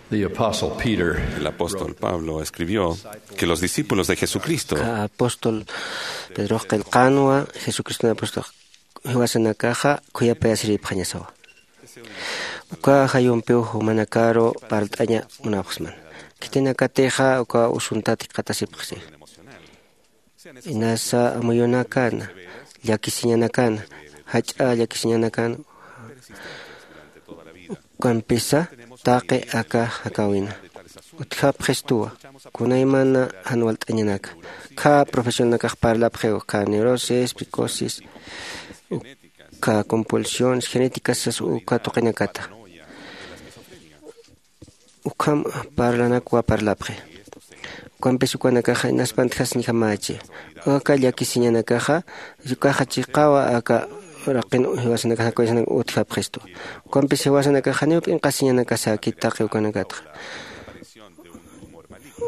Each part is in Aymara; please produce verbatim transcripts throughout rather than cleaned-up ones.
The Apostle Peter El apóstol Pablo escribió que los discípulos de Jesucristo Ka apóstol Pedrox qillqanwa, Jesucriston apóstol jiwasanakaxa khuyapayasiripxañasawa. Uka jayumpiw jumanakaru parlt'aña munapxsman. Khitinakatixa uka usuntat jikxatasipxsi. Inasa amuyunakana, llakisiñanakana, jach'a llakisiñanakana, ukampisa taqi aka jakawina utjapxistuwa. Kunaymana jan walt'añanaka, kha profesionalnakax parlapxiw, kha neurosis, psicosis, kha compulsiones genéticas sas uka tuqinakata. Ukham parlanakwa parlapxi. Ukampis ukanakaxa inaspantjasiñjamachi. Aka llakisiñanakaxa ukaxa chiqawa aka raqin jiwasanakax jakuyasanak utjapxistu. Ukampis jiwasanakaxa janiw p'inqasiñanakasaki taqi ukanakatxa.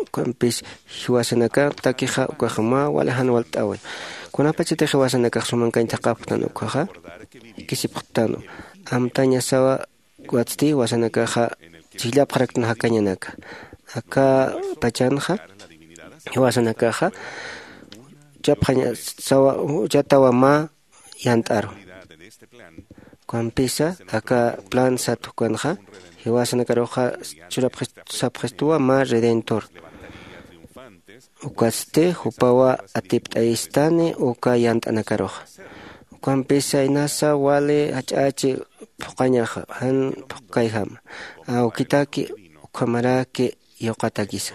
Ukampis jiwasanaka takixa ukaxa mä wali jan walt'awi. Kunapachatix jiwasanakax sumankañ thaqhapxtan ukaxa kisipxtanwa. Amtañasawa watsti jiwasanakaxa chhijllapxaraktan jakañanaka. Aka pachanxa jiwasanakaxa chapxañasawa, chatawa mä yant'aru. Ukampisa aka plan sat ukanxa jiwasanakaruxa churapxis-, sapxistuwa mä redentor. Ukatsti jupawa atipt'ayistani uka yant'anakaruxa. Ukampisa inasa wali jach'achi phuqañaxa, jan phuqkayjama. Awkitaki ukhamaraki yuqatakisa.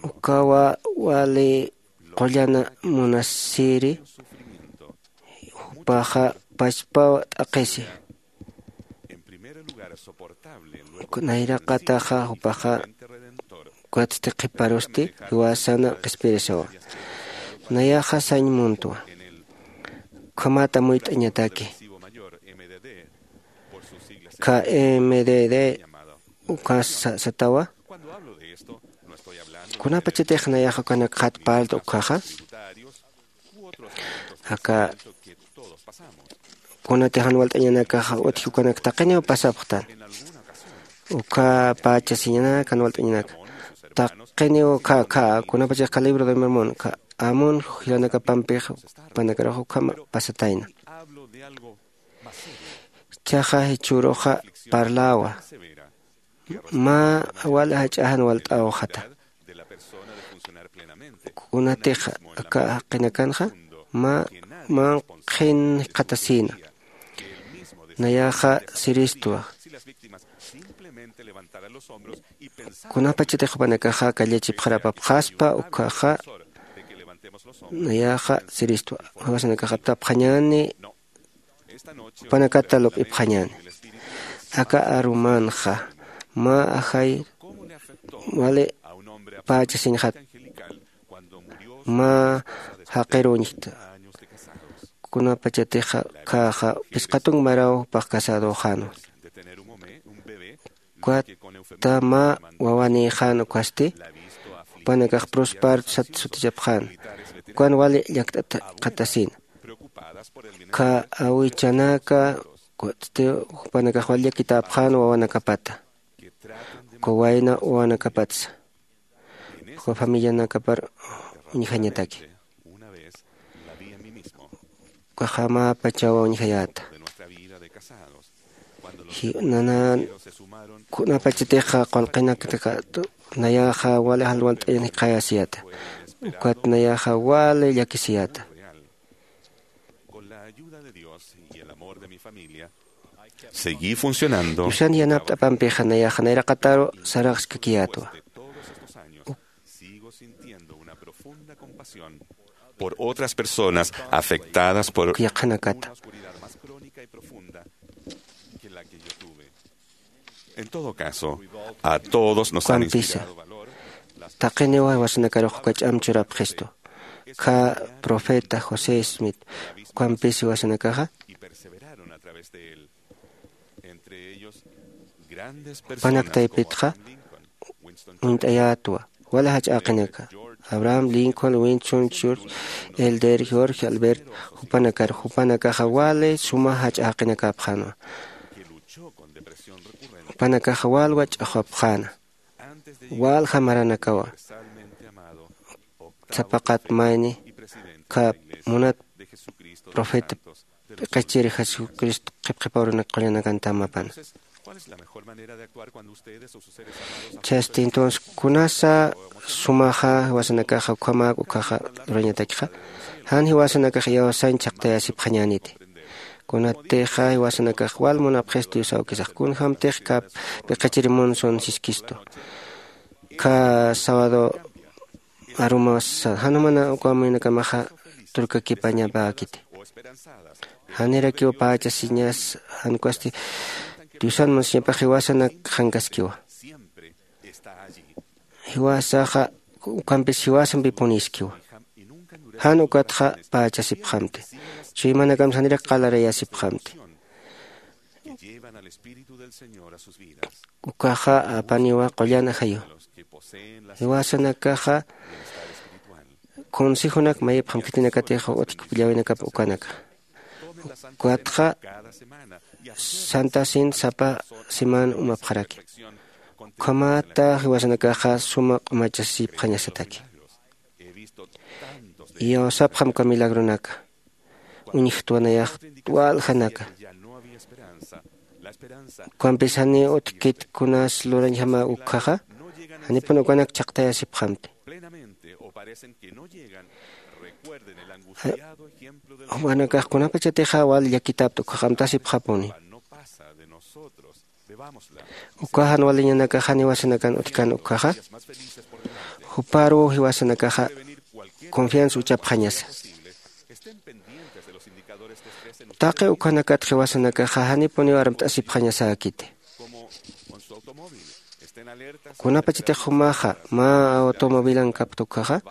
Ukawa wali qullana munasiri, jupaxa pachpaw t'aqhisi. Nayraqataxa jupaxa ukatsti qhiparusti jiwasana qhispirisawa. Nayaxa sañ muntwa. Ukhamat amuyt'añataki. Kha M D D uka sa-, satawa. Kunapachatix nayaxa ukanakxat parlt'a ukkhaxa. Aka kunatix jan walt'añanakaxa utji ukanak taqiniw pasapxtan. Uka pachasiñanak jan walt'añanak. Taqiniw kha, kha, kunapachix kha libro de Mormon, kha Amón jilanakapampix jupanakarux ukham pasatayna. Chaxa jichhüruxa parlawa. Mä wal jach'a jan walt'awxata. Kunatix aka jaqinakanxa mä, mä qhin jikxatasïna. Nayaxa siristwa. Kunapachatix jupanakaxa kallachipxarapapxaspa ukkhaxa, nayaxa siristwa. Jiwasanakax aptapxañäni, jupanakata lup'ipxañäni. Aka arumanxa mä ajay wali pachasiñxat, mä jaqir uñjta. Kunapachatix khaxa phisqa tunk maraw jupax casadöxänwa. Ukat mä wawanïxän ukasti, jupanakax prosparto sat sutichapxän, ukan wali llakt'at jikxatasïna. Kha awichanaka, ukatsti jupanakax wali llakitäpxän wawanakapata, uka wayna wawanakapatsa, uka familianakapar uñjañataki. Ukaxa mä pachawa uñjayäta. Ji-, nanan kunapachatix qullqinakta nayaxa wali jan walt'añan jikxayasiyäta. Ukat nayaxa wali llakisiyäta. Seguí funcionando. Diosan yanapt'apampixa nayaxa nayraqataru saraxskakiyätwa. Por otras personas afectadas por Yaqhanakata. En todo caso, a todos nos han Ukampisa inspirado valor taqiniw jiwasanakarux uka ch'am churapxistu. Kha profeta José Smith, ukampis jiwasanakaxa, y perseveraron a través de él. Entre ellos, grandes personas jupanak taypitxa como Abraham Lincoln, Winston uñt'ayätwa, wali jach'a jaqinaka, Abraham Lincoln, Winston Churchill, Elder George Albert, jupanakar, jupanakaxa wali suma jach'a jaqinakapxänwa. Jupanakaxa walwa ch'axwapxäna, walja maranakawa. Sapaqat mayni kap munat profeta p'iqichiri Jesucristo qhipqhipaw runak qullanakanta amapana. Chasti entonces kunasa sumaxa jiwasanakaxa ukhamäk ukhaxa lurañatakxa, jan jiwasanakax iyawsañ chhaqtayasipxañäniti. Kunatixa jiwasanakax wal munapxis Dios awkisax kunjämtix kap p'iqichiri munsun siskistu. Kha sábado arumasa jan jumana uka amuyunakamaxa turkakipañapäkiti. Janirakiw pächasiñas jan ukasti diosan munasiñapax jiwasanak qhankaskiwa. Jiwasaxa ukhampis jiwasampi puniskiwa. Jan ukatxa pächasipxamti. Chuymanakam janirak qalarayasipxamti. Ukaxa apaniwa qullan ajayu. Jiwasanakaxa consejonak mayipxam khitinakatix utjkipillawinakap ukanaka. Ukatxa santasin sapa siman umapxaraki. Ukhamata jiwasanakaxa suma q'umachasipxañasataki. Iyawsapxam uka milagronaka. Uñjtwanayax waljanaka. Ukampis jani utjkit kunas lurañjama ukkhaxa, janipun ukanak chhaqtayasipxamti. Jupanakax kunapachatixa wal llakitapta ukkhax amtasipxapuni. Uka jan waliñanakax jan jiwasanakan utjkan ukkhaxa, juparuw jiwasanakaxa confianza uchapxañasa. Taqi ukhanakat jiwasanakaxa janipuniw armt'asipxañasäkiti. Kunapachatix jumaxa mä automovilan kapta ukkhaxa,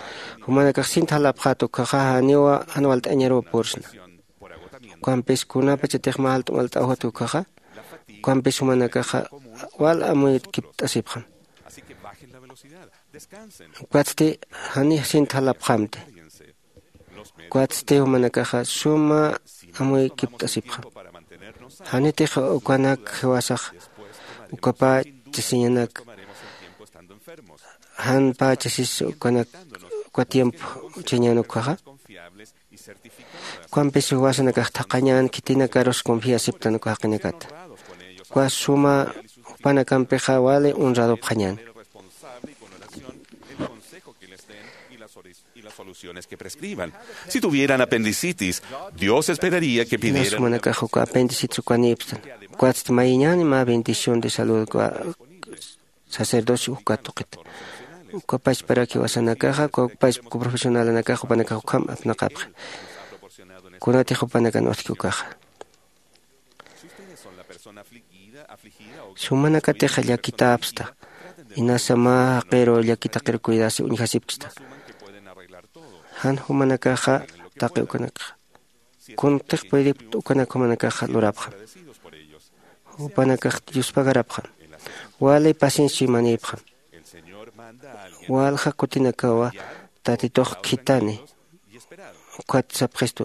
jumanakax sint jalapxät ukkhaxa janiwa jan walt'añaruw pursna. Ukampis kunapachatix mä jalt'u malt'awjat ukkhaxa, ukampis jumanakaxa wal amuytkipt'asipxam. Ukatsti janix sint jalapxamti. Ukatsti jumanakaxa suma amuykipt'asipxam. Janitix ukanak jiwasax uka pächasiñanak jan pächasis ukanak uka tiempo uchañän ukkhaxa. Ukampis jiwasanakax thaqhañän khitinakarus confiasiptan uka jaqinakata. Uka suma jupanakampixa wali honradopxañän. Si tuvieran apendicitis, Dios esperaría que Jinas pidieran jumanakax uka apendicitis ukanïpstan. Ukatsti mayiñäni mä bendición de salud uka sacerdocio uka tuqita. Uka pachparak jiwasanakaxa uka pachpa profesionalanakax jupanakax ukham apnaqapxi. Kunatix jupanakan utjki ukaxa. Sumanakatixa llakitäpsta, inasa mä jaqiru llakitaqiru cuidasi uñjasipksta. Jan jumanakaxa taqi ukanakxa kuntix puedipkt ukanak jumanakaxa lurapxam. Jupanakax yuspagarapxam. Wali paciencia chuymanïpxam. Walja kutinakawa tatitux khithani. Ukat sapxistu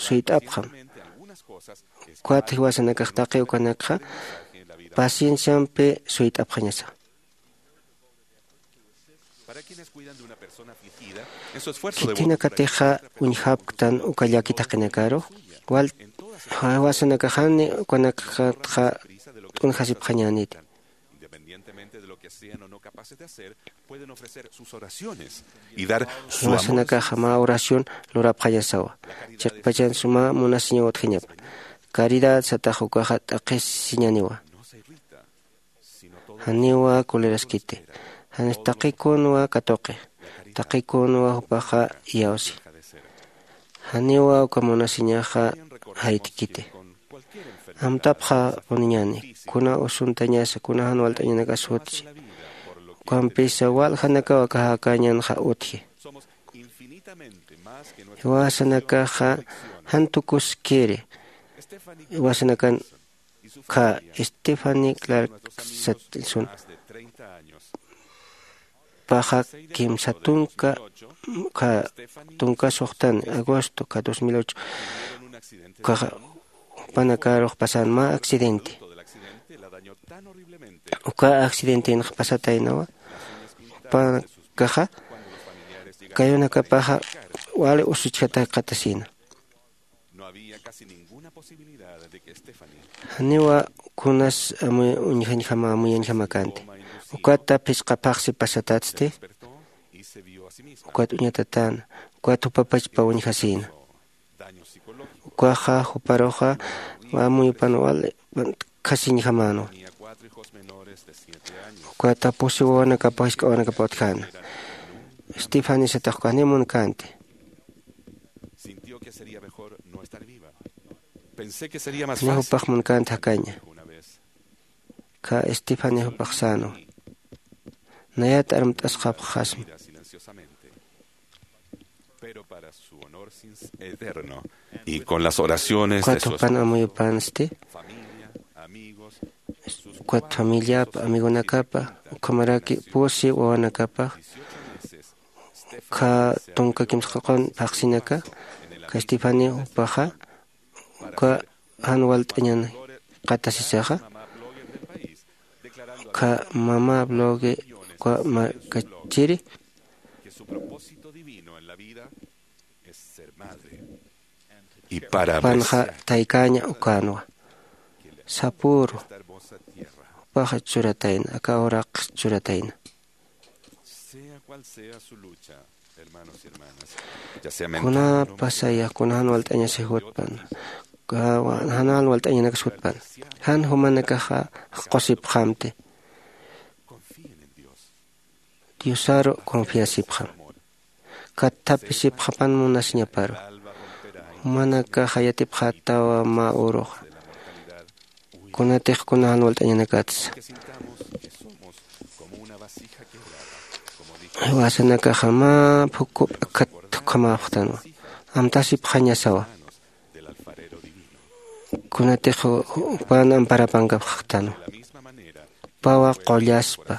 suyt'apxam. Ukat jiwasanakax taqi ukanakxa pacienciampi suyt'apxañasa. Khitinakatixa uñjapktan uka llakit jaqinakaru wal jiwasanakaxani ukanakatxa t'unjasipxañäniti. Independientemente de lo que sean o no capaces de hacer, pueden ofrecer sus oraciones y dar su amor. Jiwasanakaxa mä oración lurapxañasawa. Chiqpachan suma munasiñaw utjañapa. Caridad satax ukaxa t'aqhisiñaniwa. Janiwa kuliraskiti. Janis taqikunwa katuqi. Taqikunwa jupaxa iyawsi. Janiwa uka munasiñaxa jaytkiti. Amtapxapuniñäni kuna usuntañasa kuna jan walt'añanakas jutchi. Ukampisa waljanakaw aka jakañanxa utji. Jiwasanakaxa jan tukuskiri. Jiwasanakan kha Stephanie Clark Satson paxa kimsa tunka kha tunka suxtan agosto kha dos mil ocho kha jupanakarux pasan mä accidente. Uka accidentenxa pasataynawa. Jupanakaxa kayunakapaxa wali usuchjataki qatasina. Janiwa kunas amu uñjañjama amuyañjama kanti. Ukata phisqa phaxsi pasatatsti. Ukat uñatatäna. Ukat jupapachpa uñjasïna. Ukaxa juparuxa amuyupan wali khasiñjamänwa. Ukata pusi wawanakapa jisk'a wawanakapa utjäna. Estefanisatax uka janiw munkänti. Janiw jupax munkänti jakaña. Ka Estefani jupax sänwa. Nayat armt'asxapxasma. Pero para su honor sin eterno y con las oraciones de su esposa, ukat jupan amuyupansti. Ukat familiapa amigonakapa ukhamaraki pusi wawanakapa. Ukha tunka kimsqaqun phaxsinaka ka Estefani jupaxa uka jan walt'añan qatasisaxa. Uka mama blogue uka markachiri. Jupanxa taykäña ukänwa. Sapüru jupaxa churatayna aka uraqx churatayna. Kunapasaya kuna jan walt'añasi jutpan jan jan walt'añanakas jutpan. Jan jumanakaxa jaqusipxamti. Diosaru confiasipxam. Katthapisipxapan munasiñaparu. Jumanakaxa yatipxätawa mä uruxa. Kunatix kuna jan walt'añanakatsa. Jiwasanakaxa mä phukup akhat ukhamäpxtanwa. Amtasipxañasawa. Kunatix jupan amparapankapxtanwa. Jupawa qullaspa.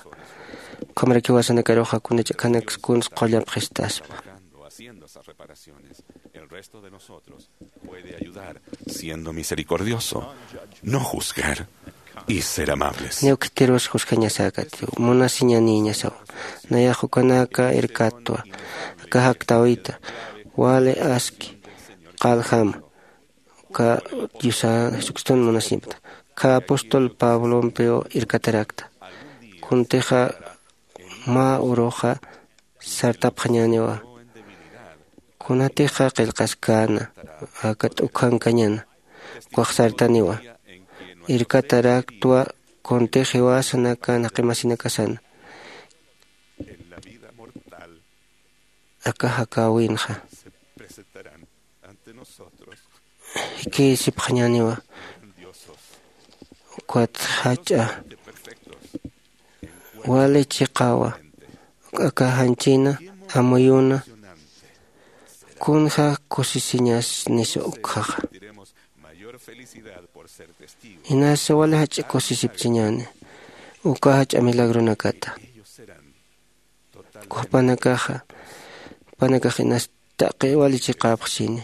Ukhamaraki jiwasanakaruxa kuna ch'akhanaks kuns qullapxistaspa. Puede ayudar siendo misericordioso, no juzgar y ser amables. Niw khitirus juzgañasäkati munasiñanïñasawa. Nayax ukanaka irkatwa. Aka jaktäwita wali aski qaljama. Uka diosa jesucriston munasiñapata uka apóstol pablompiw irkatarakta. Kuntixa mä uruxa sartapxañäniwa. Kunatixa qillqaskäna aka t'ukhankañäna ukax sartaniwa. Irkataraktwa kuntix jiwasanaka naqimasinakasana. Aka jakäwinxa jikïsipxañäniwa. Ukat jach'a wali chiqawa aka janchina amuyuna. Kunja kusisiñasnisa ukjaxa. Inasa wali jach'a kusisipchiñäni uka jach'a milagronakata. Jupanakaxa jupanakax inas taqi wali chiqäpxchini.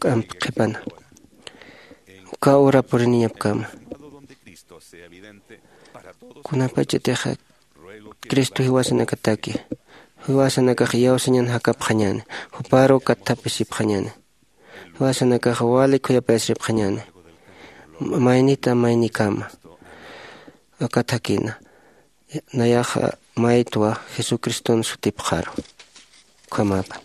K'amp qhipana uka ura puriniñapkama. Kunapachatixa cristo jiwasanakataki jiwasanakax iyawsañan jakapxañäni. Juparu katthapisipxañäni. Jiwasanakax wali khuyapayasiripxañäni. Maynita maynikama aka thakina. Nayaxa maytwa jesucriston sutipxaru. Ukhamäpan.